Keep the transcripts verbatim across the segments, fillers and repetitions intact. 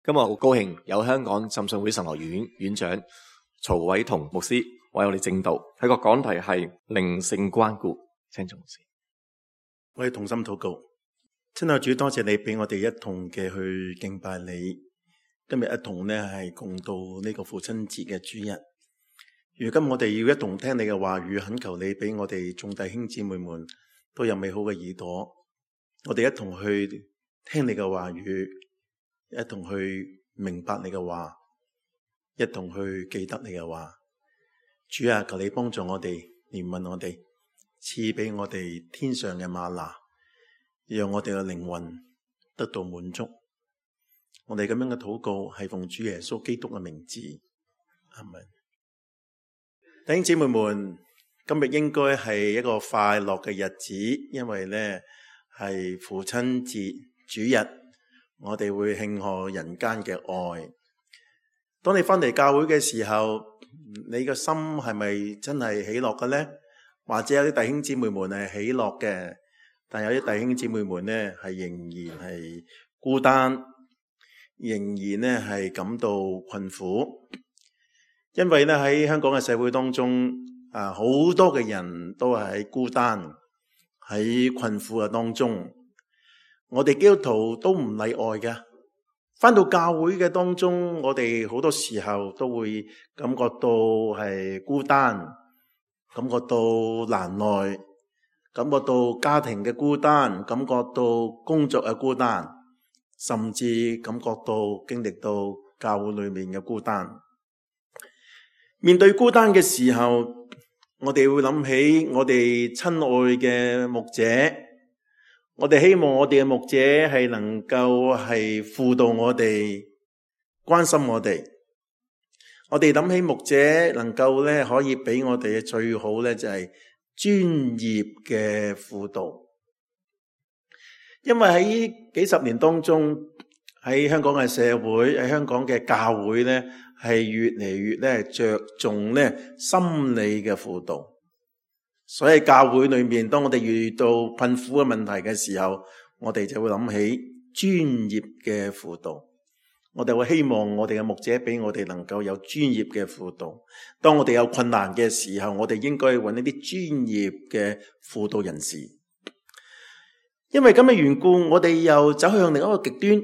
今日好高興有香港浸信會神學院院長曹偉同牧師為我哋證道，佢個講題係靈性關顧。請曹牧師。我哋同心禱告。親愛主，多謝你俾我哋一同嘅去敬拜你。今日一同呢係共度呢個父親節嘅主日。如今我哋要一同聽你嘅話語，懇求你俾我哋眾弟兄姊妹們都有美好嘅耳朵，我哋一同去聽你嘅話語，一同去明白你嘅話，一同去記得你嘅話。主啊，求你幫助我哋，憐憫我哋，賜俾我哋天上嘅嗎哪，讓我哋嘅靈魂得到滿足。我哋咁樣嘅禱告係奉主耶穌基督嘅名字，阿們。弟兄姊妹們，今日應該係一個快樂嘅日子，因為呢係父親節主日，我哋會慶賀人間嘅愛。當你翻嚟教會嘅時候，你個心係咪真係喜樂嘅呢？或者有啲弟兄姊妹們係喜樂嘅，但有啲弟兄姊妹們呢係仍然係孤單，仍然呢係感到困苦。因為呢喺香港嘅社會當中，啊好多嘅人都係喺孤單、喺困苦嘅當中。我哋基督徒都唔例外嘅。返到教會嘅當中，我哋好多時候都會感覺到係孤單，感覺到難耐，感覺到家庭嘅孤單，感覺到工作嘅孤單，甚至感覺到經歷到教會裏面嘅孤單。面對孤單嘅時候，我哋會諗起我哋親愛嘅牧者，我哋希望我哋嘅牧者係能夠係輔導我哋，關心我哋。我哋諗起牧者能夠咧可以俾我哋嘅最好咧就係專業嘅輔導。因為喺幾十年當中，喺香港嘅社會，喺香港嘅教會咧係越嚟越咧着重咧心理嘅輔導。所以教會裏面，當我哋遇到困苦嘅問題嘅時候，我哋就會諗起專業嘅輔導。我哋會希望我哋嘅牧者俾我哋能夠有專業嘅輔導。當我哋有困難嘅時候，我哋應該揾一啲專業嘅輔導人士。因為咁嘅緣故，我哋又走向另一個極端。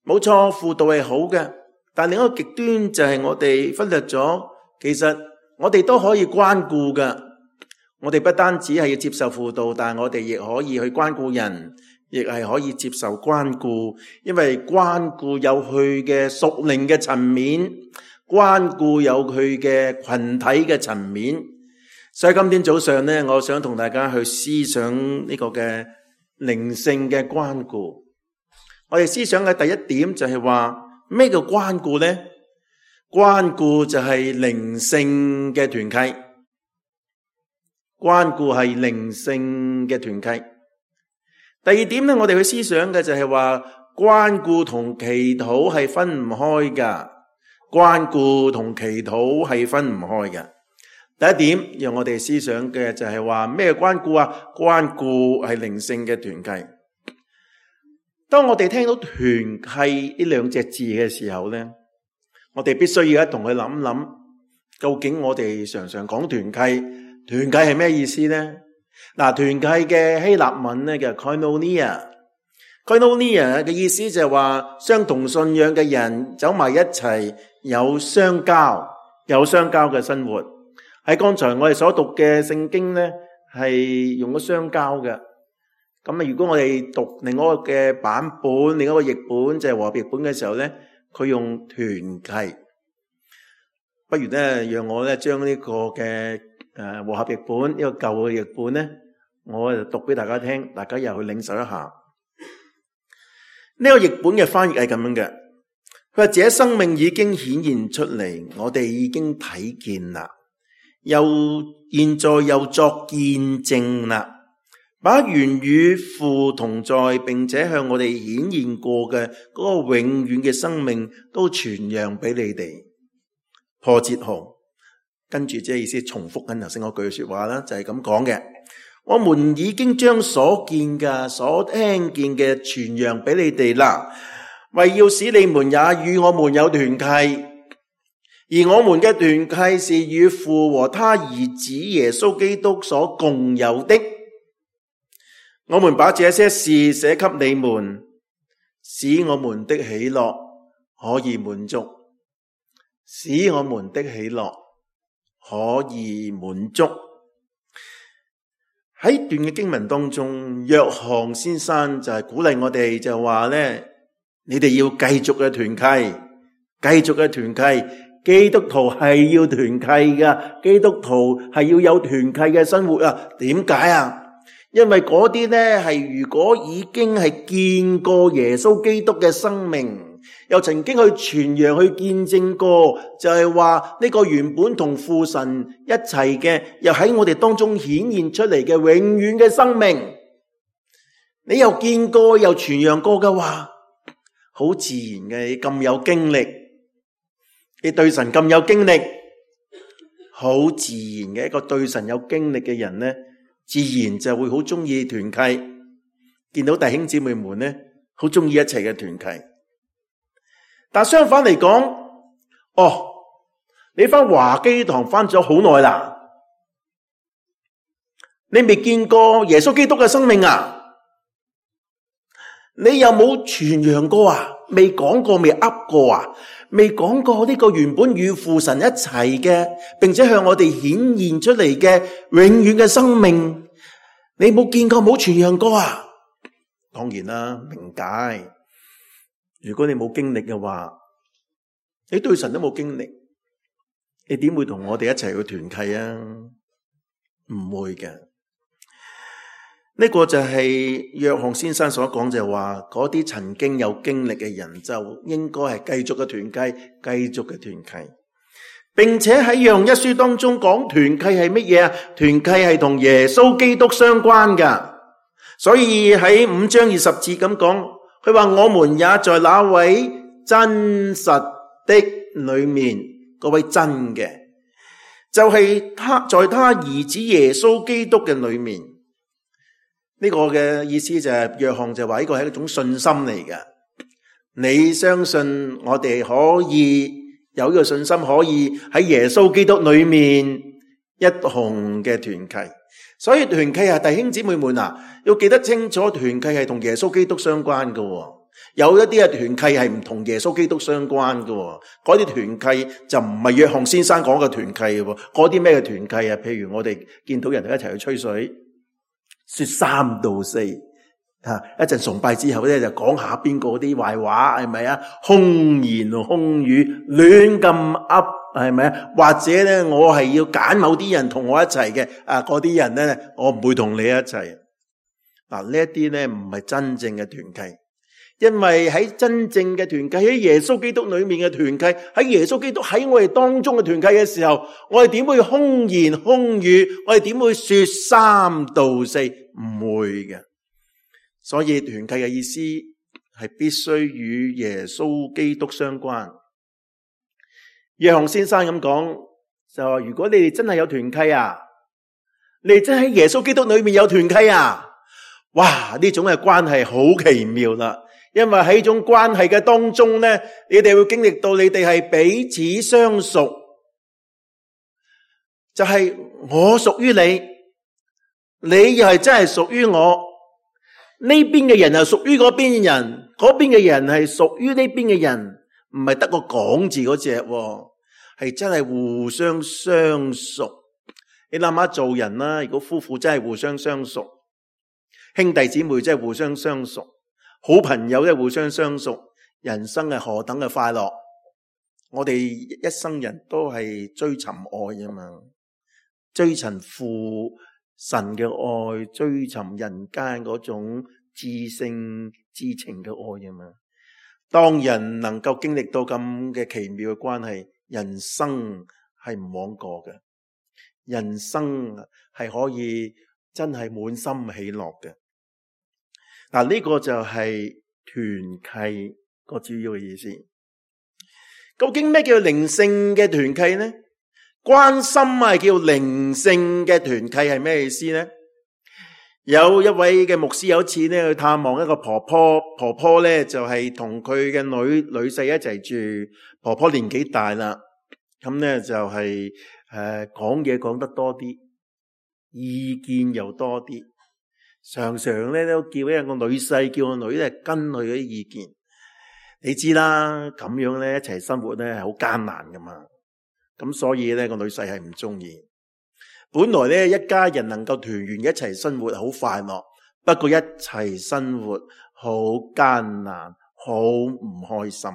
冇錯，輔導係好嘅，但另一個極端就係我哋忽略咗，其實我哋都可以關顧嘅。我哋不單止係要接受輔導，但係我哋亦可以去關顧人，亦係可以接受關顧。因為關顧有佢嘅屬靈嘅層面，關顧有佢嘅群體嘅層面。所以今天早上呢，我想同大家去思想呢個嘅靈性嘅關顧。我哋思想嘅第一點就係話，咩叫關顧呢？關顧就係靈性嘅團契。關顧係靈性嘅團契。第二點呢，我哋去思想嘅就係話，關顧同祈禱係分唔開噶。關顧同祈禱係分唔開嘅。第一點，讓我哋思想嘅就係話，咩關顧啊？關顧係靈性嘅團契。當我哋聽到團契呢兩隻字嘅時候呢，我哋必須要一同去諗諗，究竟我哋常常講團契，團契係咩意思呢？嗱，團契嘅希臘文呢叫 koinonia，koinonia 嘅意思就係話相同信仰嘅人走埋一齊，有相交，有相交嘅生活。喺剛才我哋所讀嘅聖經呢，係用咗相交嘅。咁啊，如果我哋讀另外一個嘅版本，另一個譯本就係和合譯本嘅時候呢，佢用團契。不如呢，讓我呢將呢個嘅誒和合譯本呢個舊嘅譯本呢，我就讀俾大家聽，大家又去領受一下。呢個譯本嘅翻譯係咁樣嘅，佢話：這生命已經顯現出嚟，我哋已經睇見啦，又現在又作見證啦。把原與父同在，並且向我哋顯現過嘅嗰個永遠嘅生命都傳揚俾你哋。破折號，跟住即係意思重複緊頭先嗰句說話啦，就係咁講嘅。我們已經將所見嘅、所聽見嘅傳揚俾你哋啦。為要使你們也與我們有團契，而我們嘅團契是與父和他兒子耶穌基督所共有的。我們把這些事寫給你們，使我們的喜樂可以滿足，使我們的喜樂可以滿足。喺段嘅經文當中，約翰先生就係鼓勵我哋，就話咧，你哋要繼續嘅團契，繼續嘅團契。基督徒係要團契噶，基督徒係要有團契嘅生活啊。點解啊？因為嗰啲咧係如果已經係見過耶穌基督嘅生命，又曾經去傳揚去見證過，就係話呢個原本同父神一齊嘅，又喺我哋當中顯現出嚟嘅永遠嘅生命，你又見過又傳揚過嘅話，好自然嘅，你咁有經歷，你對神咁有經歷，好自然嘅一個對神有經歷嘅人呢，自然就會好中意團契，見到弟兄姊妹們呢，好中意一齊嘅團契。但相反嚟講，哦，你翻華基堂翻咗好耐啦，你未見過耶穌基督嘅生命啊？你有冇傳揚過啊？未講過，未噏過啊？未講過呢個原本與父神一齊嘅，並且向我哋顯現出嚟嘅永遠嘅生命，你冇見過，冇傳揚過啊？當然啦，明解。如果你冇經歷嘅話，你對神都冇經歷，你點會同我哋一齊去團契啊？唔會嘅。呢個就係約翰先生所講，就係話嗰啲曾經有經歷嘅人就應該係繼續嘅團契，繼續嘅團契，並且喺約翰一書當中講團契係乜嘢啊？團契係同耶穌基督相關噶，所以喺五章二十節咁講，佢話我們也在那位真實的裏面，嗰位真嘅就係他在他兒子耶穌基督嘅裏面。呢個嘅意思就係約翰就話呢個係一種信心嚟嘅，你相信我哋可以有呢個信心，可以喺耶穌基督裏面一同嘅團契。所以團契係弟兄姊妹們啊，要記得清楚，團契係同耶穌基督相關嘅。有一啲嘅團契係唔同耶穌基督相關嘅，嗰啲團契就唔係約翰先生講嘅團契。嗰啲咩嘅團契啊？譬如我哋見到人哋一齊去吹水，說三道四，吓一陣崇拜之後咧就講下邊個啲壞話，係咪啊？空言空語，亂咁噏，係咪啊？或者咧我係要揀某啲人同我一齊嘅，啊嗰啲人咧我唔會同你一齊。嗱呢一啲咧唔係真正嘅團契，因為喺真正嘅團契，喺耶穌基督裏面嘅團契，喺耶穌基督喺我哋當中嘅團契嘅時候，我哋點會空言空語？我哋點會說三道四？唔會嘅。所以團契嘅意思係必須與耶穌基督相關。約翰先生咁講，就話如果你哋真係有團契啊，你哋真喺耶穌基督裏面有團契啊，哇！呢種嘅關係好奇妙啦。因為喺呢種關係嘅當中咧，你哋會經歷到你哋係彼此相屬，就係我屬於你，你又係真係屬於我。呢邊嘅人係屬於嗰邊嘅人，嗰邊嘅人係屬於呢邊嘅人，唔係得個講字嗰隻，係真係互相相屬。你諗下做人啦，如果夫婦真係互相相屬，兄弟姊妹真係互相相屬，好朋友咧互相相屬，人生係何等嘅快樂！我哋一生人都係追尋愛啊嘛，追尋父神嘅愛，追尋人間嗰種至聖至情嘅愛啊嘛。當人能夠經歷到咁嘅奇妙嘅關係，人生係唔枉過嘅，人生係可以真係滿心喜樂嘅。嗱，呢個就係團契個主要嘅意思。究竟咩叫靈性嘅團契呢？關心係叫靈性嘅團契係咩意思呢？有一位嘅牧師有一次咧去探望一個婆婆，婆婆咧就係同佢嘅女女婿一齊住，婆婆年紀大啦，咁咧就係誒講嘢講得多啲，意見又多啲，常常咧都叫一個女婿叫個女咧跟佢啲意見。你知啦，咁樣咧一齊生活咧係好艱難噶嘛，咁所以咧個女婿係唔中意。本來咧一家人能夠團圓一齊生活好快樂，不過一齊生活好艱難，好唔開心。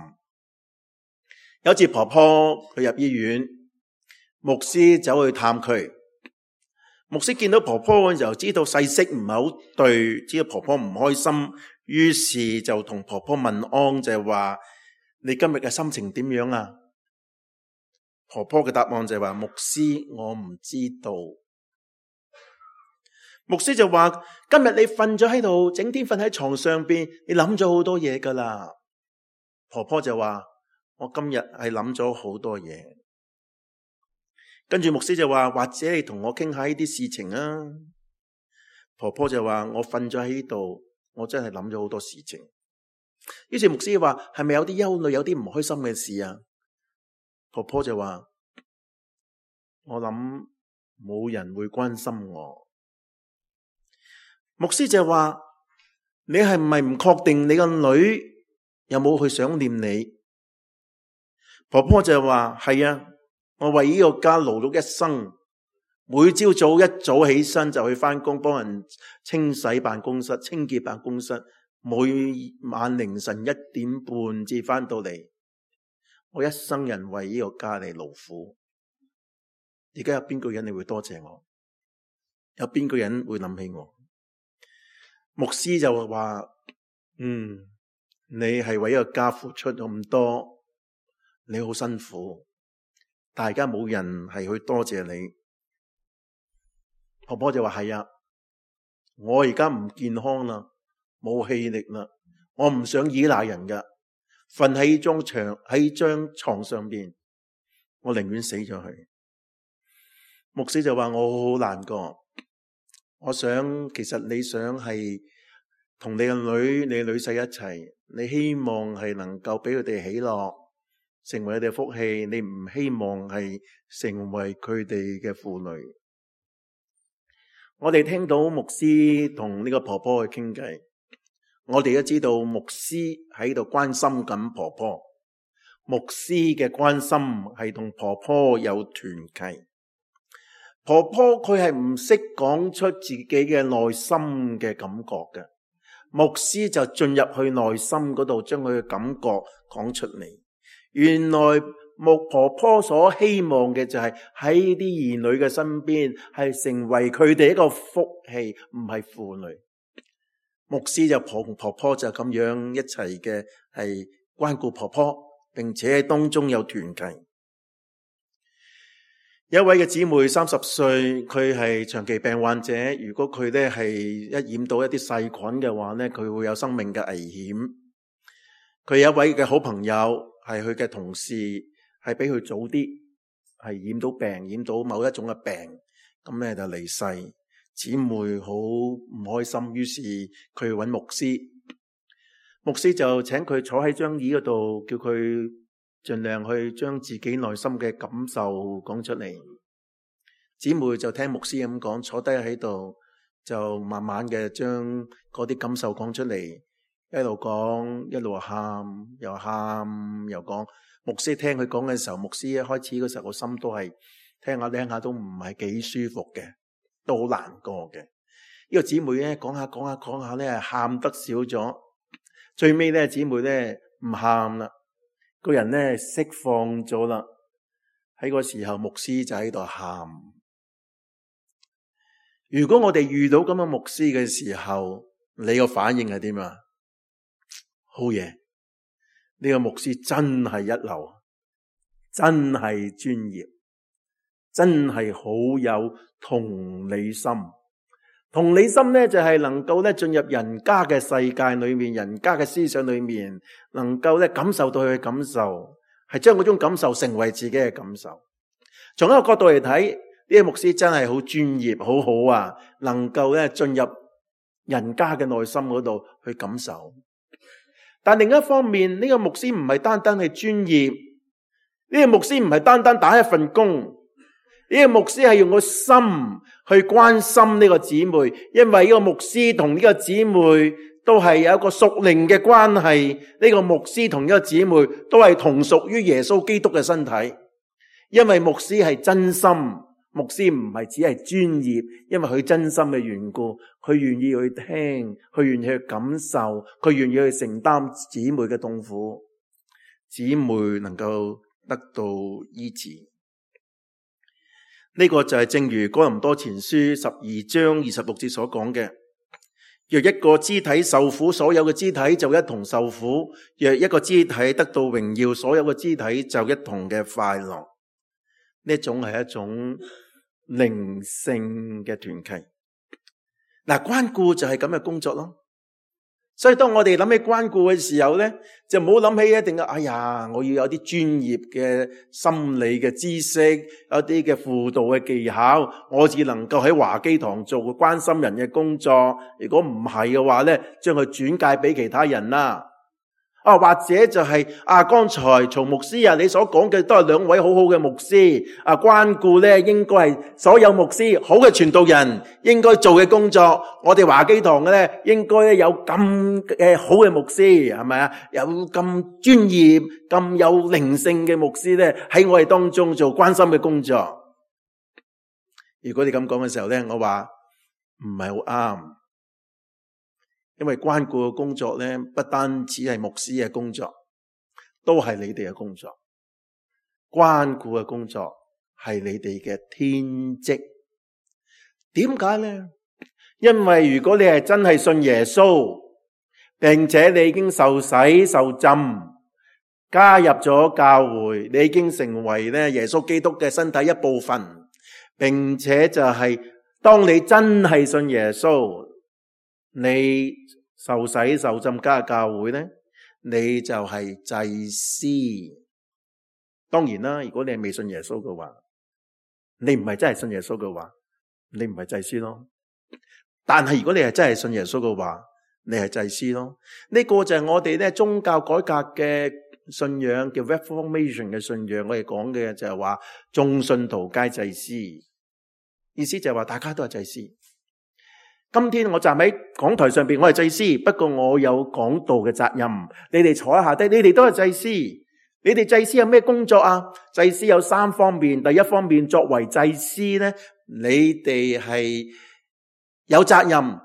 有次婆婆佢入醫院，牧師走去探佢，牧師見到婆婆嘅時候知道勢色唔係好對，知道婆婆唔開心，於是就同婆婆問安，就係話你今日嘅心情點樣啊？婆婆嘅答案就係話，牧師，我唔知道。牧師就話，今日你瞓咗喺度，整天瞓喺床上邊，你諗咗好多嘢噶啦。婆婆就話，我今日係諗咗好多嘢。跟住牧師就話，或者你同我傾下呢啲事情啊。婆婆就話，我瞓咗喺度，我真係諗咗好多事情。於是牧師話，係咪有啲憂慮，有啲唔開心嘅事啊？婆婆就話，我諗冇人會關心我。牧師就話，你係唔係唔確定你個女有冇去想念你？婆婆就話，係啊，我為呢個家勞碌一生，每朝早一早起身就去返工，幫人清洗辦公室、清潔辦公室，每晚凌晨一點半至返到嚟。我一生人為呢個家嚟勞苦，而家有邊個人你會多謝我？有邊個人會諗起我？牧師就話，嗯，你係為呢個家付出咁多，你好辛苦，大家冇人係去多謝你。婆婆就話，係啊，我而家唔健康啦，冇氣力啦，我唔想依賴人噶。瞓喺張床喺張床上邊，我寧願死咗去。牧師就話，我好難過，我想其實你想係同你個女、你女婿一齊，你希望係能夠俾佢哋喜樂，成為佢哋嘅福氣，你唔希望係成為佢哋嘅負累。我哋聽到牧師同呢個婆婆去傾偈，我哋都知道牧師喺度關心緊婆婆，牧師嘅關心係同婆婆有團契。婆婆佢係唔識講出自己嘅內心嘅感覺嘅，牧師就進入去內心嗰度，將佢嘅感覺講出嚟。原來牧婆婆所希望嘅就係喺啲兒女嘅身邊，係成為佢哋一個福氣，唔係負累。牧師就同婆婆就咁樣一齊嘅係關顧婆婆，並且喺當中有團契。有一位嘅姊妹三十歲，佢係長期病患者，如果佢咧係一染到一啲細菌嘅話咧，佢會有生命嘅危險。佢有一位嘅好朋友係佢嘅同事，係比佢早啲係染到病，染到某一種嘅病，咁咧就離世。姊妹好唔開心，於是佢去揾牧師，牧師就請佢坐喺張椅嗰度，叫佢盡量去將自己內心嘅感受講出嚟。姊妹就聽牧師咁講，坐低喺度就慢慢嘅將嗰啲感受講出嚟，一路講一路喊，又喊又講。牧師聽佢講嘅時候，牧師一開始嗰時候個心都係聽下聽下都唔係幾舒服嘅，都好難過嘅。呢個姊妹咧講下講下講下咧，喊得少咗，最尾咧姊妹咧唔喊啦，個人咧釋放咗啦。喺個時候，牧師就喺度喊。如果我哋遇到咁嘅牧師嘅時候，你個反應係點啊？好嘢，呢個牧師真係一流，真係專業，真係好有同理心。同理心咧就係能夠咧進入人家嘅世界裏面，人家嘅思想裏面，能夠咧感受到佢嘅感受，係將嗰種感受成為自己嘅感受。從一個角度嚟睇，呢個牧師真係好專業，好好啊！能夠咧進入人家嘅內心嗰度去感受。但另一方面，呢個牧師唔係單單係專業，呢個牧師唔係單單打一份工，呢個牧師係用個心去關心呢個姊妹，因為呢個牧師同呢個姊妹都係有一個屬靈嘅關係，呢個牧師同呢個姊妹都係同屬於耶穌基督嘅身體。因為牧師係真心，牧師唔係只係專業，因為佢真心嘅緣故，佢願意去聽，佢願意去感受，佢願意去承擔姊妹嘅痛苦，姊妹能夠得到醫治。呢個就係正如哥林多前書十二章二十六節所講嘅，若一個肢體受苦，所有嘅肢體就一同受苦；若一個肢體得到榮耀，所有嘅肢體就一同嘅快樂。呢種係一種靈性嘅團契。嗱，關顧就係咁嘅工作咯。所以當我哋諗起關顧嘅時候咧，就唔好諗起一定嘅，哎呀，我要有啲專業嘅心理嘅知識，有啲嘅輔導嘅技巧，我只能夠喺華基堂做個關心人嘅工作。如果唔係嘅話咧，將佢轉介俾其他人啦。啊，或者就係、是、啊，剛才曹牧師啊，你所講嘅都係兩位好好嘅牧師啊，關顧咧應該係所有牧師好嘅傳道人應該做嘅工作。我哋華基堂嘅咧，應該咧有咁誒好嘅牧師，係咪啊？有咁專業、咁有靈性嘅牧師咧，喺我哋當中做關心嘅工作。如果你咁講嘅時候咧，我話唔係好啱。因為關顧嘅工作咧，不單只係牧師嘅工作，都係你哋嘅工作。關顧嘅工作係你哋嘅天職。點解咧？因為如果你係真係信耶穌，並且你已經受洗受浸，加入咗教會，你已經成為咧耶穌基督嘅身體一部分，並且就係當你真係信耶穌，你受洗受浸加入教會咧，你就係祭司。當然啦，如果你係未信耶穌嘅話，你唔係真係信耶穌嘅話，你唔係祭司咯。但係如果你係真係信耶穌嘅話，你係祭司咯。呢個就係我哋咧宗教改革嘅信仰，叫 Reformation 嘅信仰。我哋講嘅就係話眾信徒皆祭司，意思就係話大家都係祭司。今天我站喺講台上邊，我係祭司，不過我有講道嘅責任。你哋坐喺下低，你哋都係祭司。你哋祭司有咩工作啊？祭司有三方面。第一方面，作為祭司咧，你哋係有責任，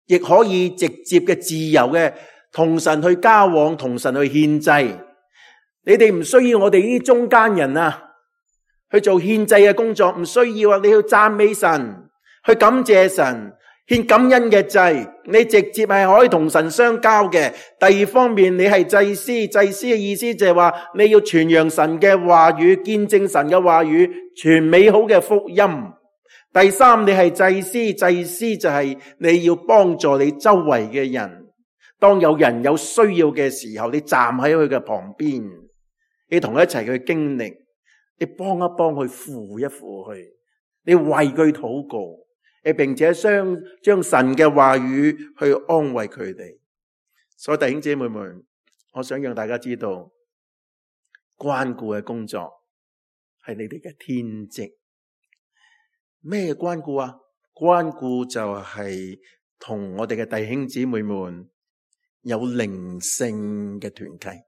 亦可以直接嘅自由嘅同神去交往，同神去獻祭。你哋唔需要我哋呢啲中間人啊去做獻祭嘅工作，唔需要啊！你要讚美神，去感謝神，獻感恩嘅祭，你直接係可以同神相交嘅。第二方面，你係祭司，祭司嘅意思就係話你要傳揚神嘅話語，見證神嘅話語，傳美好嘅福音。第三，你係祭司，祭司就係你要幫助你周圍嘅人，當有人有需要嘅時候，你站喺佢嘅旁邊，你同佢一齊去經歷，你幫一幫佢，扶一扶佢，你為佢禱告，你並且將將神嘅話語去安慰佢哋。所以弟兄姐妹們，我想讓大家知道，關顧嘅工作係你哋嘅天職。咩關顧啊？關顧就係同我哋嘅弟兄姊妹們有靈性嘅團契。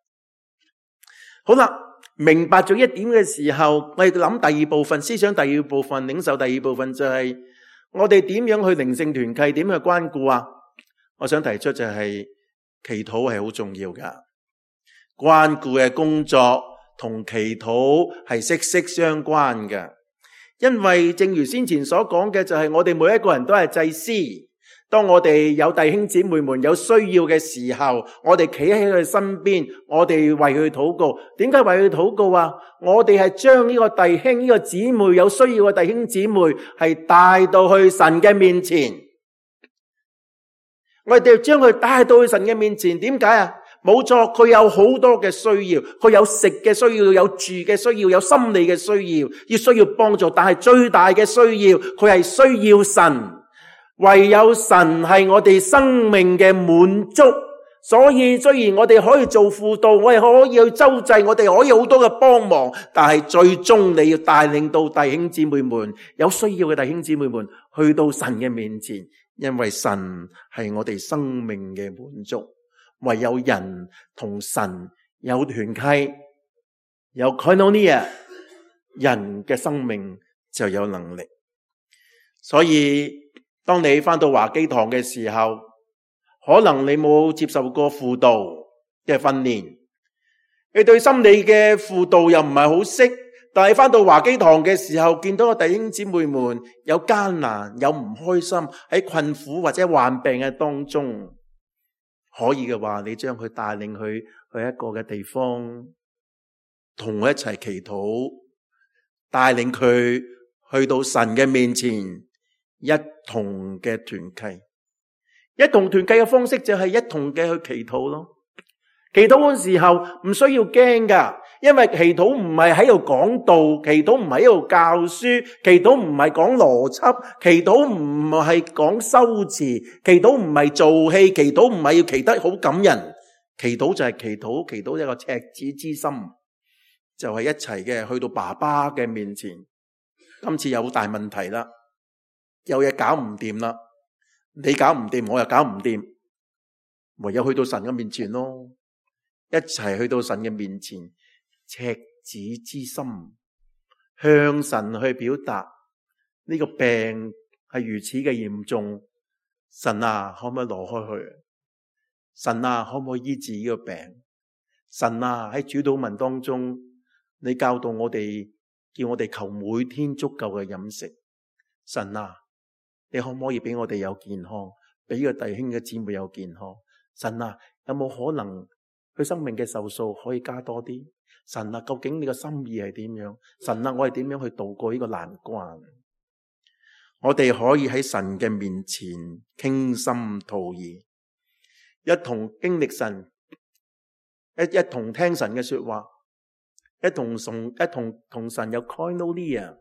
好啦，明白咗一點嘅時候，我哋諗第二部分，思想第二部分，領受第二部分就係我哋點樣去靈性團契，點去關顧啊？我想提出就係祈禱係好重要噶，關顧嘅工作同祈禱係息息相關嘅。因為正如先前所講嘅，就係我哋每一個人都係祭司。當我哋有弟兄姊妹們有需要嘅時候，我哋企喺佢身邊，我哋為佢禱告。點解為佢禱告啊？我哋係將呢個弟兄、呢個姊妹有需要嘅弟兄姊妹係帶到去神嘅面前。我哋將佢帶到去神嘅面前，點解啊？冇錯，佢有好多嘅需要，佢有食嘅需要，有住嘅需要，有心理嘅需要，要需要幫助。但係最大嘅需要，佢係需要神唯有神係我哋生命嘅滿足。所以雖然我哋可以做輔導，我哋可以去周濟，我哋可以好多嘅幫忙，但係最終你要帶領到弟兄姊妹們，有需要嘅弟兄姊妹們去到神嘅面前，因為神係我哋生命嘅滿足。唯有人同神有團契，有 koinonia， 人嘅生命就有能力。所以當你返到華基堂嘅時候，可能你冇接受過輔導嘅訓練，你對心理嘅輔導又唔係好識，但係返到華基堂嘅時候，見到個弟兄姊妹們有艱難，有唔開心，喺困苦或者患病嘅當中，可以嘅話，你將佢帶領去去一個嘅地方，同佢一齊祈禱，帶領佢去到神嘅面前，一同嘅團契。一同團契嘅方式就係一同嘅去祈禱咯。祈禱嘅時候唔需要驚噶，因為祈禱唔係喺度講道，祈禱唔係喺度教書，祈禱唔係講邏輯，祈禱唔係講修辭，祈禱唔係做戲，祈禱唔係要祈得好感人，祈禱就係祈禱，祈禱一個赤子之心，就係一齊嘅去到爸爸嘅面前。今次有大問題啦，有嘢搞唔掂啦。你搞唔掂，我又搞唔掂，唯有去到神嘅面前咯，一齊去到神嘅面前，赤子之心向神去表達呢個病係如此嘅嚴重，神啊，可唔可以攞開去？神啊，可唔可以醫治呢個病？神啊，喺主禱文當中，你教導我哋，叫我哋求每天足夠嘅飲食。神啊，你可唔可以俾我哋有健康，俾個弟兄嘅姊妹有健康？神啊，有冇可能佢生命嘅壽數可以加多啲？神啊，究竟你嘅心意係點樣？神啊，我係點樣去度過呢個難關？我哋可以喺神嘅面前傾心吐意，一同經歷神，一一同聽神嘅說話，一同同一同同神有 koinonia，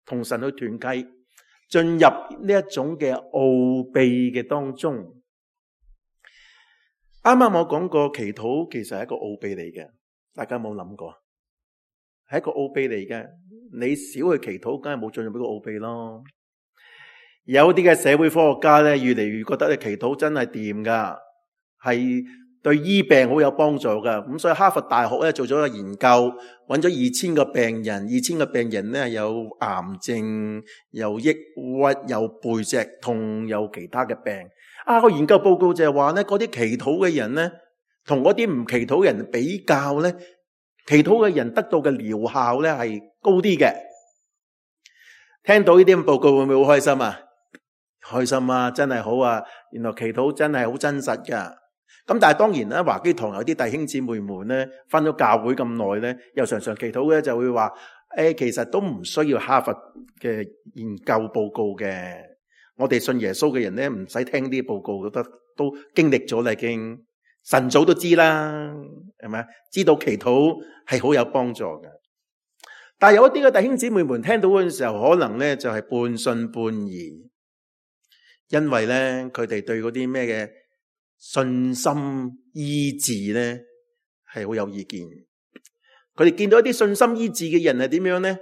同神去團契，進入呢一種嘅奧秘嘅當中。啱啱我講過祈禱其實係一個奧秘嚟嘅，大家有冇諗過？係一個奧秘嚟嘅，你少去祈禱，梗係冇進入呢個奧秘咯。有啲嘅社會科學家咧，越嚟越覺得咧祈禱真係掂噶，係對醫病好有幫助噶。咁所以哈佛大學咧做咗個研究，揾咗二千個病人，二千個病人咧有癌症、有抑鬱、有背脊痛、有其他嘅病。啊，個研究報告就係話咧，嗰啲祈禱嘅人咧，同嗰啲唔祈禱嘅人比較咧，祈禱嘅人得到嘅療效咧係高啲嘅。聽到呢啲咁報告會唔會好開心啊？開心啊，真係好啊！原來祈禱真係好真實噶。咁但係當然咧，華基堂有啲弟兄姊妹們咧，返咗教會咁耐咧，又常常祈禱咧，就會話誒，其實都唔需要哈佛嘅研究報告嘅。我哋信耶穌嘅人咧，唔使聽啲報告，覺得都經歷咗啦，已經神早都知啦，係咪？知道祈禱係好有幫助嘅。但係有一啲嘅弟兄姊妹們聽到嗰陣時候，可能咧就係半信半疑，因為咧佢哋對嗰啲咩嘅信心醫治咧係好有意見。佢哋見到一啲信心醫治嘅人係點樣咧？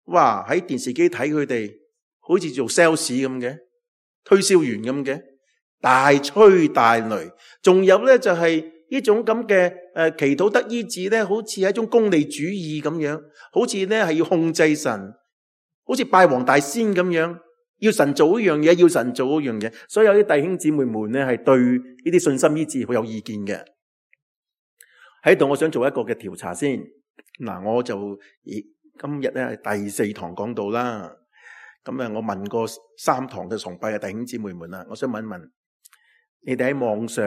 哇！喺電視機睇佢哋好似做 sales 咁嘅，推銷員咁嘅，大吹大擂。仲有咧就係呢種咁嘅誒祈禱得醫治咧，好似係一種功利主義咁樣，好似咧係要控制神，好似拜黃大仙咁樣，要神做一樣嘢，要神做一樣嘢。所以有啲弟兄姊妹們咧係對呢啲信心醫治好有意見嘅。喺度我想做一個嘅調查先。嗱，我就咦今日咧係第四堂講道啦。咁啊，我問過三堂嘅崇拜嘅弟兄姊妹們啦，我想問一問，你哋喺網上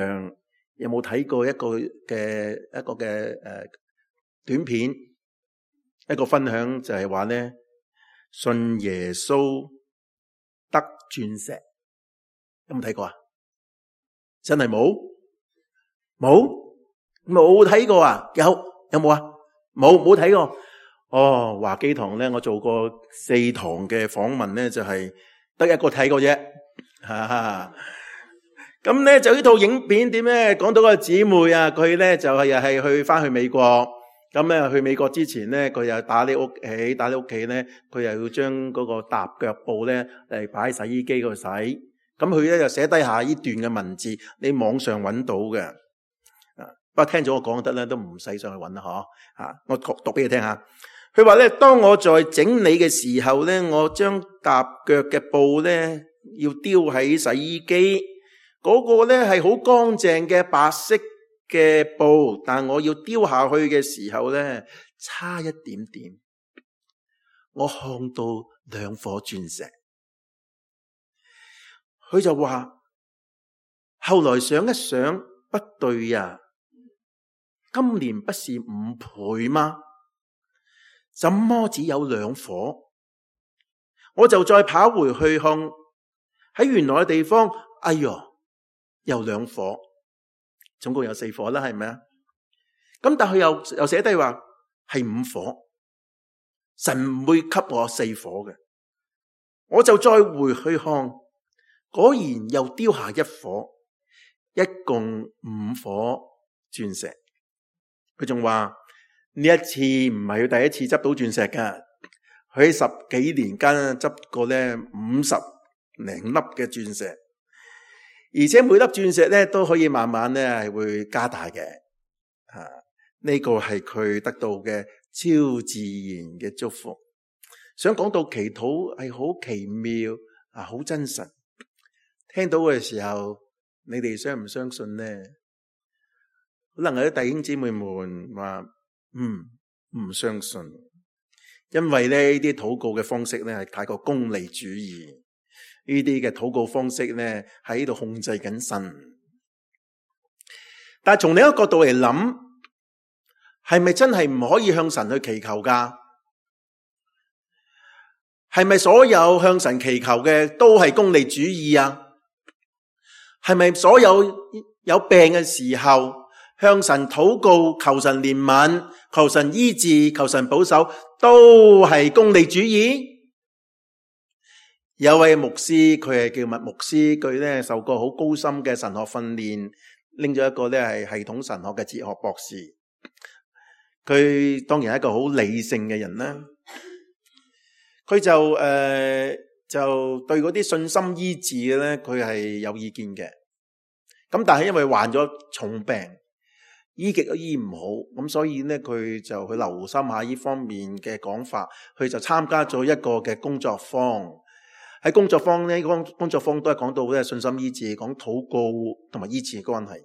有冇睇過一個嘅一個嘅誒短片，一個分享就係話咧，信耶穌得鑽石，有冇睇過啊？真係冇？冇？冇睇過啊？有？有冇啊？冇？冇睇過。哦，華基堂咧，我做過四堂嘅訪問咧，就係得一個睇過啫，哈，咁咧就呢套影片點咧？講到個姊妹啊，佢咧就係又係去翻去美國。咁咧去美國之前咧，佢又打理屋企，打理屋企咧，佢又要將嗰個踏腳布咧嚟擺喺洗衣機嗰度洗。咁佢咧就寫低下呢段嘅文字，你網上揾到嘅。啊，不過聽咗我講得咧，都唔使上去揾啦，嗬。啊，我讀讀俾你聽下。佢話咧，當我在整理嘅時候咧，我將踏腳嘅布咧要丟喺洗衣機，嗰、那個咧係好乾淨嘅白色嘅布，但我要丟下去嘅時候咧，差一點點，我看到兩顆鑽石。佢就話，後來想一想，不對呀，今年不是五倍嗎？怎麼只有兩顆？我就再跑回去看，喺原來嘅地方，哎喲，又兩顆。總共有四顆啦，係咪啊？咁但係佢又又寫低話係五顆，神唔會給我四顆嘅。我就再回去看，果然又丟下一顆，一共五顆鑽石。佢仲話呢一次唔係佢第一次執到鑽石噶，佢喺十幾年間執過咧五十零粒嘅鑽石。而且每粒鑽石咧都可以慢慢咧係會加大嘅，啊，呢個係佢得到嘅超自然嘅祝福。想講到祈禱係好奇妙啊，好真實。聽到嘅時候，你哋相唔相信呢？可能有啲弟兄姊妹們話，嗯，唔相信，因為咧呢啲禱告嘅方式咧係太過功利主義。呢啲嘅禱告方式咧喺度控制緊神，但係從另一個角度嚟諗，係咪真係唔可以向神去祈求噶？係咪所有向神祈求嘅都係功利主義啊？係咪所有有病嘅時候向神禱告，求神憐憫、求神醫治、求神保守，都係功利主義？有位牧師，佢係叫麥牧師，佢咧受過好高深嘅神學訓練，拎咗一個咧係系統神學嘅哲學博士。佢當然係一個好理性嘅人啦。佢就誒、呃、就對嗰啲信心醫治嘅咧，佢係有意見嘅。咁但係因為患咗重病，醫極都醫唔好，咁所以咧佢就去留心下呢方面嘅講法，佢就參加咗一個嘅工作坊。喺工作坊呢，工工作坊都係講到咧信心醫治，講禱告同埋醫治嘅關係。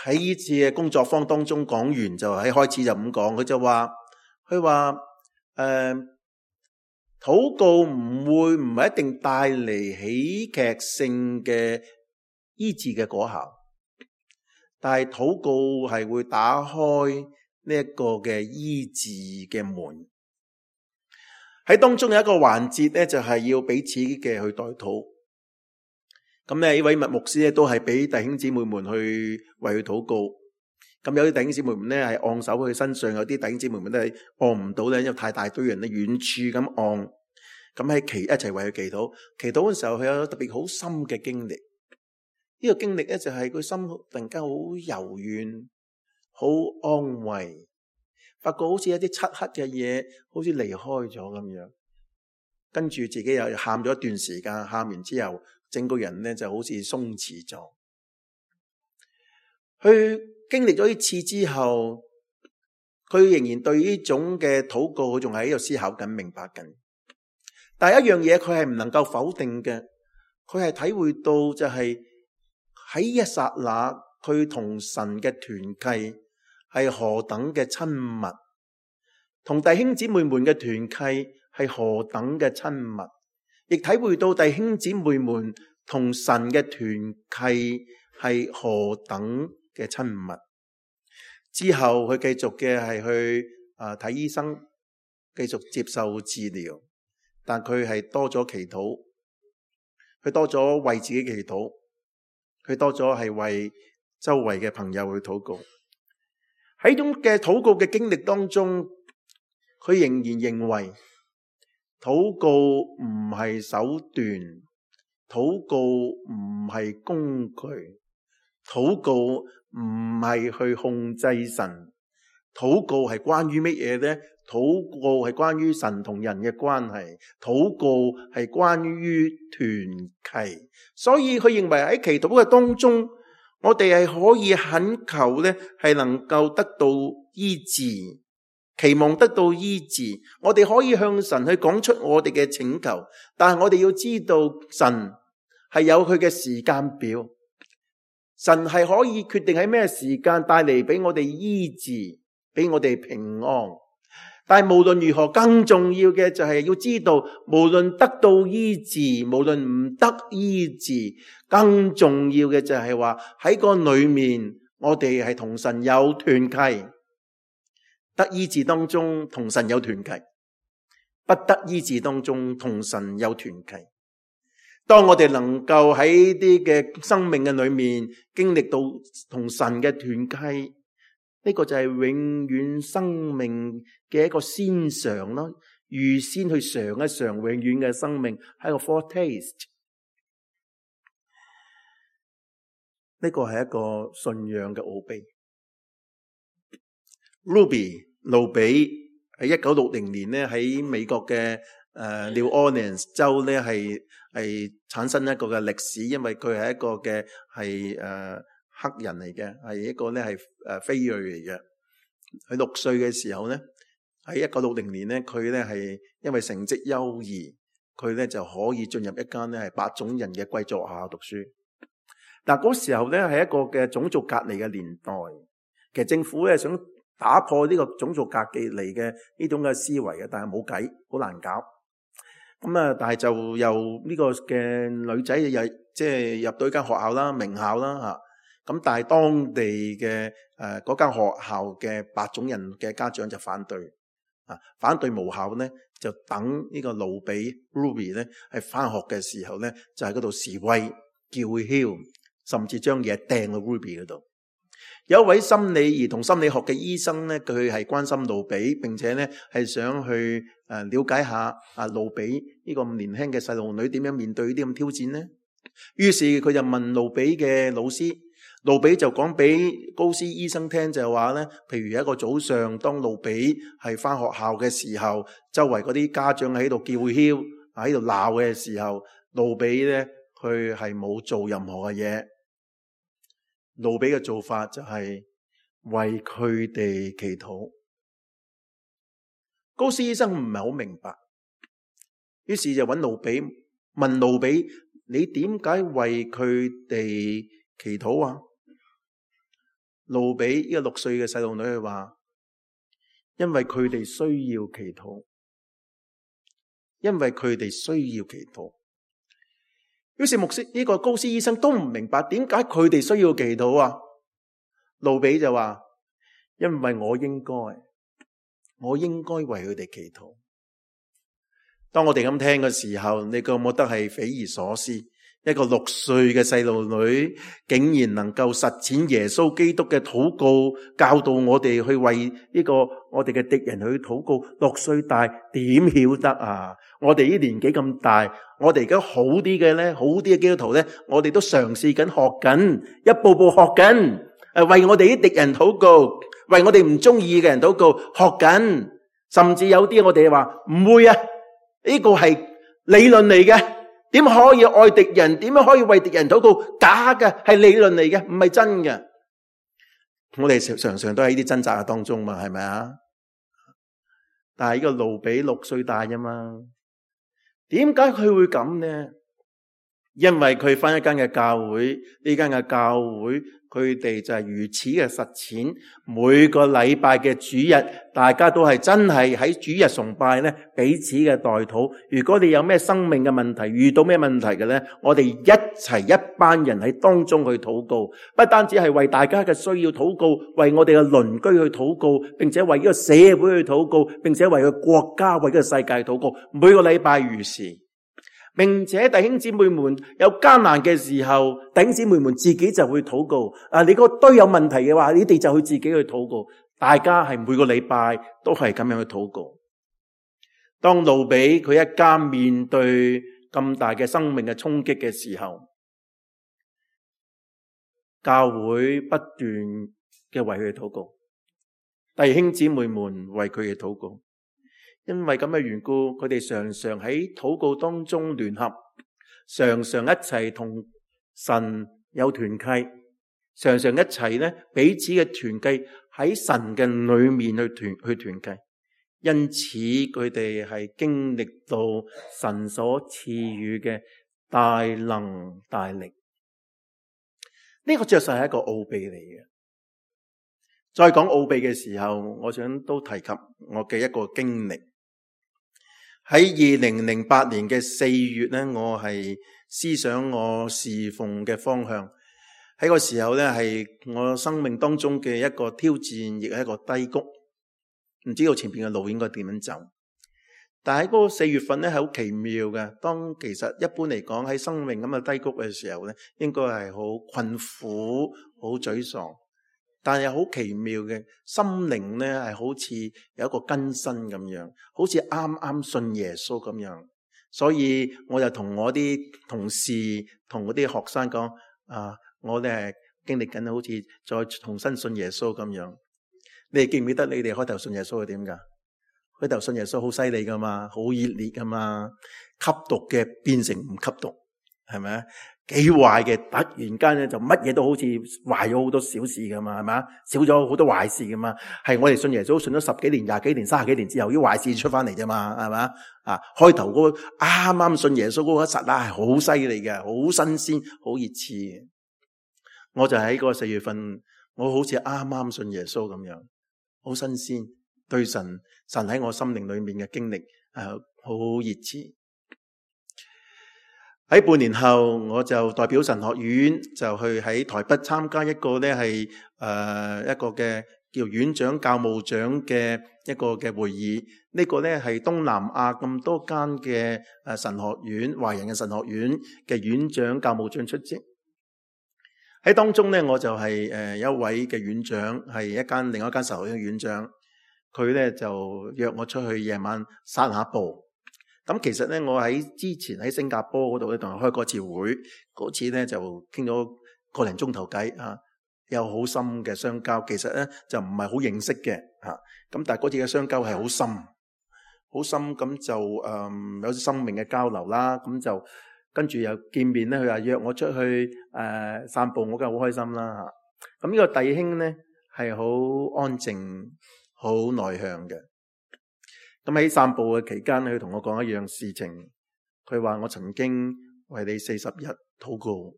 喺呢次嘅工作坊當中講完就喺開始就咁講，佢就話佢話誒，禱告唔會唔係一定帶嚟喜劇性嘅醫治嘅果效，但係禱告係會打開呢一個嘅醫治嘅門。喺當中有一個環節咧，就係要彼此嘅去代禱。咁咧，呢位麥牧師咧都係俾弟兄姊妹們去為佢禱告。咁有啲弟兄姊妹們咧係按手喺佢身上，有啲弟兄姊妹們都係按唔到咧，因為太大堆人咧遠處咁按。咁喺祈一齊為佢祈禱。祈禱嘅時候，佢有特別好深嘅經歷。呢個經歷咧就係佢心突然間好柔軟，好安慰。發覺好似一啲漆黑嘅嘢，好似離開咗咁樣，跟住自己又喊咗一段時間，喊完之後，整個人咧就好似鬆弛咗。佢經歷咗呢次之後，佢仍然對呢種嘅禱告，佢仲係喺度思考緊、明白緊。但係一樣嘢，佢係唔能夠否定嘅，佢係體會到就係喺一剎那，佢同神嘅團契係何等嘅親密，同弟兄姊妹們嘅團契係何等嘅親密，亦體會到弟兄姊妹們同神嘅團契係何等嘅親密。之後佢繼續嘅係去啊睇醫生，繼續接受治療，但佢係多咗祈禱，佢多咗為自己祈禱，佢多咗係為周圍嘅朋友去禱告。喺種嘅禱告嘅經歷當中，佢仍然認為禱告唔係手段，禱告唔係工具，禱告唔係去控制神，禱告係關於乜嘢呢？禱告係關於神同人嘅關係，禱告係關於團契。所以佢認為喺祈禱嘅當中，我哋係可以懇求呢，係能夠得到醫治，期望得到醫治。我哋可以向神去講出我哋嘅請求，但係我哋要知道神係有佢嘅時間表，神係可以決定喺咩時間帶嚟俾我哋醫治，俾我哋平安。但係無論如何，更重要嘅就係要知道，無論得到醫治，無論唔得醫治，更重要嘅就係話喺個裏面，我哋係同神有團契。得醫治當中同神有團契，不得醫治當中同神有團契。當我哋能夠喺啲嘅生命嘅裏面經歷到同神嘅團契，呢個就係永遠生命嘅一個先嘗咯，預先去嘗一嘗永遠嘅生命，係個 foretaste。呢個係一個信仰嘅奧秘。Ruby 路比喺一九六零年咧喺美國嘅誒 New Orleans 州咧係係產生一個嘅歷史，因為佢係一個嘅係誒黑人嚟嘅，係一個咧係誒非裔嚟嘅。佢六歲嘅時候咧，喺一九六零年咧，佢咧係因為成績優異，佢咧就可以進入一間咧係白種人嘅貴族學校讀書。但嗰時候咧係一個嘅種族隔離嘅年代，其實政府咧想打破呢個種族隔離嘅呢種嘅思維嘅，但係冇計，好難搞。咁啊，但係就由呢個嘅女仔又即係入到一間學校啦，名校啦吓。咁但係當地嘅誒嗰間學校嘅白種人嘅家長就反對啊，反對無效咧，就等呢個路比 Ruby 咧係翻學嘅時候咧，就喺嗰度示威叫囂，甚至將嘢掟去 Ruby 嗰度。有一位心理兒童心理學嘅醫生咧，佢係關心路比，並且咧係想去誒了解下啊路比呢個咁年輕嘅細路女點樣面對呢啲咁挑戰呢？於是佢就問路比嘅老師，路比就講俾高斯醫生聽，就係話咧，譬如一個早上，當路比係翻學校嘅時候，周圍嗰啲家長喺度叫囂，喺度鬧嘅時候，路比咧佢係冇做任何嘅嘢。路比嘅做法就係為佢哋祈禱。高斯醫生唔係好明白，於是就揾路比問路比：你點解為佢哋祈禱啊？路比呢個六歲嘅細路女佢話：因為佢哋需要祈禱，因為佢哋需要祈禱。於是牧師呢個高斯醫生都唔明白點解佢哋需要祈禱啊？路比就話：因為我應該，我應該為佢哋祈禱。當我哋咁聽嘅時候，你覺唔覺得係匪夷所思？一個六歲嘅細路女竟然能夠實踐耶穌基督嘅禱告，教導我哋去為呢個我哋嘅敵人去禱告。六歲大點曉得啊？我哋呢年紀咁大，我哋而家好啲嘅咧，好啲嘅基督徒咧，我哋都嘗試緊學緊，一步步學緊，誒為我哋啲敵人禱告，為我哋唔中意嘅人禱告，學緊。甚至有啲我哋話唔會啊，呢個係理論嚟嘅。點可以愛敵人？點樣可以為敵人禱告？假嘅，係理論嚟嘅，唔係真嘅。我哋常常都喺呢啲掙扎嘅當中嘛，係咪啊？但係呢個路比六歲大啫嘛，點解佢會咁呢？因為佢返一間嘅教會，呢間嘅教會佢哋就係如此嘅實踐。每個禮拜嘅主日，大家都係真係喺主日崇拜咧，彼此嘅代禱。如果你有咩生命嘅問題，遇到咩問題嘅咧，我哋一齊一班人喺當中去禱告，不單止係為大家嘅需要禱告，為我哋嘅鄰居去禱告，並且為呢個社會去禱告，並且為個國家、為呢個世界禱告。每個禮拜如是。並且弟兄姊妹們有艱難嘅時候，弟兄姊妹們自己就會禱告。啊，你個堆有問題嘅話，你哋就去自己去禱告。大家係每個禮拜都係咁樣去禱告。當路比佢一家面對咁咁大嘅生命嘅衝擊嘅時候，教會不斷嘅為佢哋禱告，弟兄姊妹們為佢哋禱告。因為咁嘅緣故，佢哋常常喺禱告當中聯合，常常一齊同神有團契，常常一齊咧彼此嘅團契喺神嘅裏面去團去團契。因此佢哋係經歷到神所賜予嘅大能大力。呢個確實係一個奧秘嚟嘅。再講奧秘嘅時候，我想都提及我嘅一個經歷。喺二零零八年嘅四月咧，我係思想我侍奉嘅方向。喺個時候咧，係我生命當中嘅一個挑戰，亦係一個低谷。唔知道前邊嘅路應該點樣走。但係喺嗰個四月份咧，係好奇妙嘅。當其實一般嚟講喺生命咁嘅低谷嘅時候咧，應該係好困苦、好沮喪。但係好奇妙嘅心靈咧，係好似有一個更新咁樣，好似啱啱信耶穌咁樣。所以我就同我啲同事、同嗰啲學生講：啊，我哋係經歷緊好似再重新信耶穌咁樣。你哋記唔記得你哋開頭信耶穌係點噶？開頭信耶穌好犀利噶嘛，好熱烈噶嘛，吸毒嘅變成唔吸毒，係咪啊？幾壞嘅突然間咧就乜嘢都好似壞咗好多小事噶嘛，係咪啊？少咗好多壞事噶嘛。係我哋信耶穌信咗十幾年、廿幾年、三十幾年之後，啲壞事出翻嚟啫嘛，係咪啊？啊，開頭嗰個啱啱信耶穌嗰個一剎那係好犀利嘅，好新鮮、好熱熾嘅。我就喺嗰個四月份，我好似啱啱信耶穌咁樣，好新鮮，對神神喺我心靈裏面嘅經歷係好熱熾。喺半年後，我就代表神學院就去喺台北參加一個咧係誒一個嘅叫院長教務長嘅一個嘅會議。呢個咧係東南亞咁多間嘅誒神學院、華人嘅神學院嘅院長教務長出席。喺當中咧，我就係誒一位嘅院長，係一間另一間神學院嘅院長。佢咧就約我出去夜晚散下步。咁其實咧，我喺之前喺新加坡嗰度咧，同佢開過一次會，嗰次咧就傾咗個零鐘頭偈啊，有好深嘅相交。其實咧就唔係好認識嘅吓，咁但係嗰次嘅相交係好深，好深咁就誒、嗯、有啲生命嘅交流啦。咁就跟住又見面咧，佢話約我出去誒、呃、散步，我梗係好開心啦吓。咁呢個弟兄咧係好安靜、好內向嘅。咁喺散步嘅期間，佢同我講一樣事情。佢話我曾經為你四十日禱告。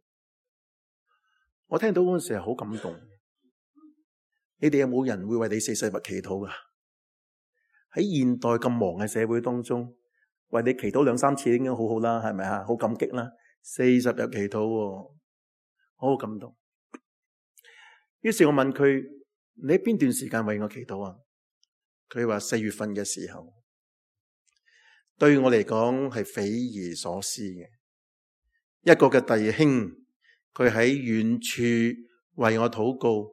我聽到嗰陣時係好感動。你哋有冇人會為你四十日祈禱噶？喺現代咁忙嘅社會當中，為你祈禱兩三次已經好好啦，係咪啊？好感激啦。四十日祈禱，好好感動。於是我問佢：你喺邊段時間為我祈禱啊？佢話四月份嘅時候。對我嚟講係匪夷所思嘅，一個嘅弟兄，佢喺遠處為我禱告，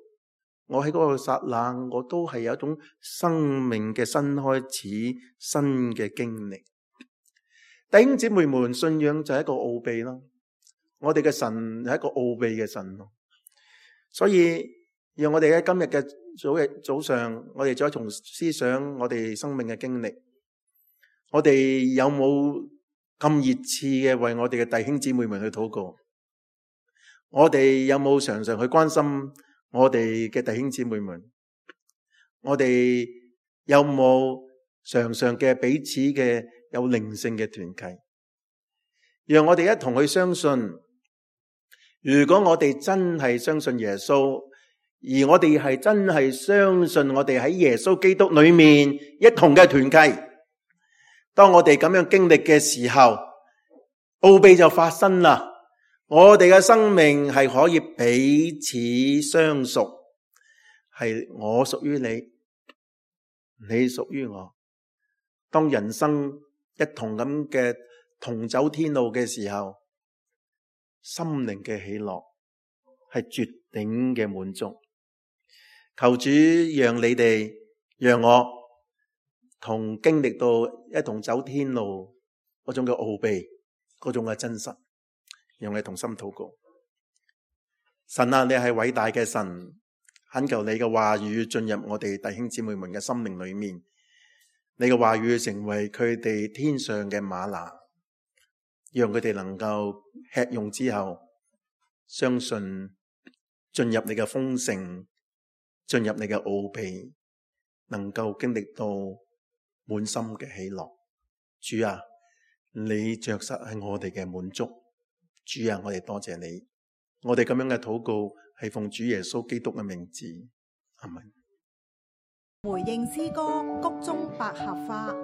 我喺嗰個剎那，我都係有一種生命嘅新開始、新嘅經歷。弟兄姊妹們，信仰就係一個奧秘咯，我哋嘅神係一個奧秘嘅神咯，所以讓我哋喺今日嘅早日早上，我哋再從思想我哋生命嘅經歷。我哋有冇咁熱熾嘅為我哋嘅弟兄姊妹們去禱告？我哋有冇常常去關心我哋嘅弟兄姊妹們？我哋有冇常常嘅彼此嘅有靈性嘅團契？讓我哋一同去相信，如果我哋真係相信耶穌，而我哋係真係相信我哋喺耶穌基督裏面一同嘅團契，當我哋咁樣經歷嘅時候，奧秘就發生啦。我哋嘅生命係可以彼此相屬，係我屬於你，你屬於我。當人生一同咁嘅同走天路嘅時候，心靈嘅喜樂係絕頂嘅滿足。求主讓你哋，讓我同經歷到一同走天路嗰種嘅奧秘，嗰種嘅真實，讓我哋同心禱告。神啊，你係偉大嘅神，懇求你嘅話語進入我哋弟兄姊妹們嘅心靈裏面，你嘅話語成為佢哋天上嘅嗎哪，讓佢哋能夠吃用之後，相信進入你嘅豐盛，進入你嘅奧秘，能夠經歷到滿心嘅喜樂。主啊，你着實係我哋嘅滿足。主啊，我哋多謝你。我哋咁樣嘅禱告係奉主耶穌基督嘅名字，阿們。回應詩歌谷中百合花。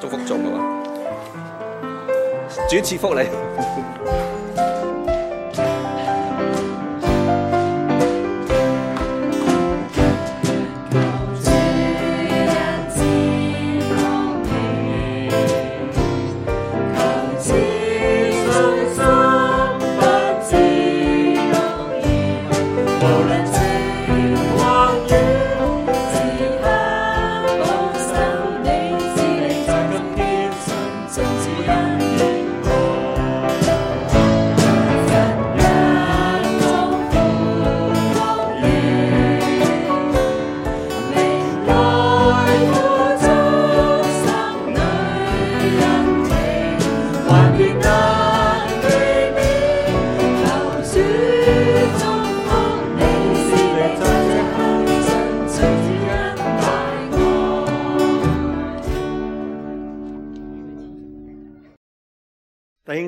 祝福做嘅話，主賜福你。求主祝福你。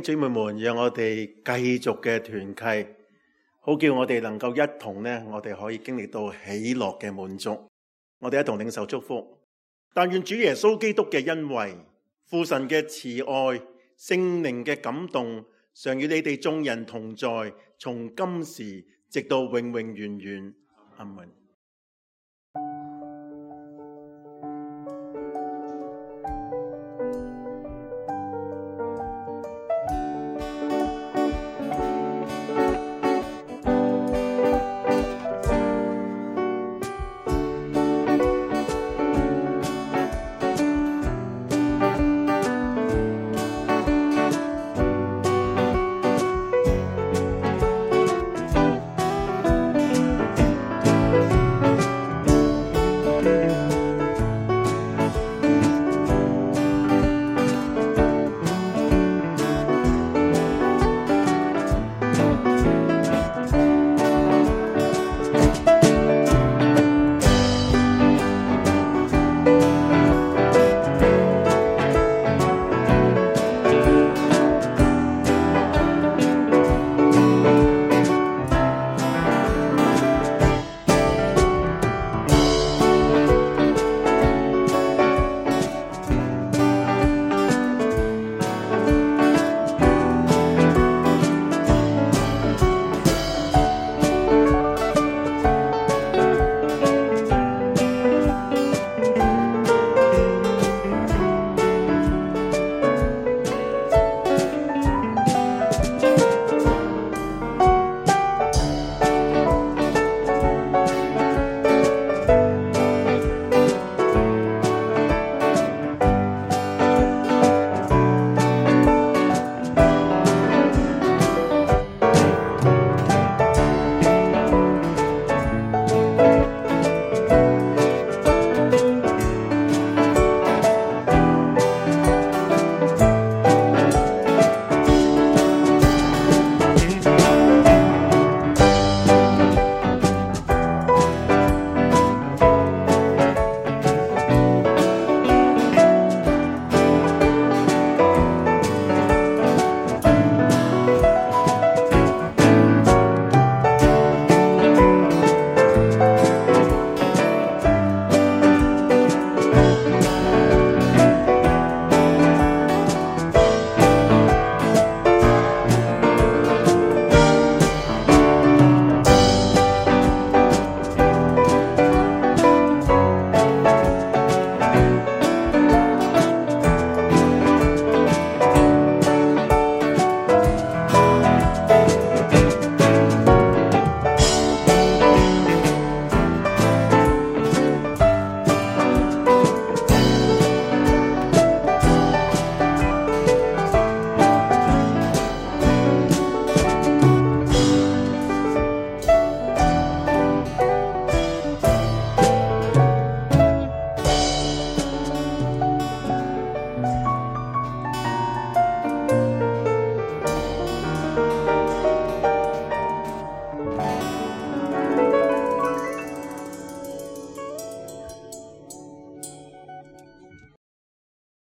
姊妹們，讓我哋繼續嘅團契，好叫我哋能夠一同呢，我哋可以經歷到喜樂嘅滿足。我哋一同領受祝福。但願主耶穌基督嘅恩惠、父神嘅慈愛、聖靈嘅感動，常與你哋眾人同在，從今時直到永永遠遠。阿門。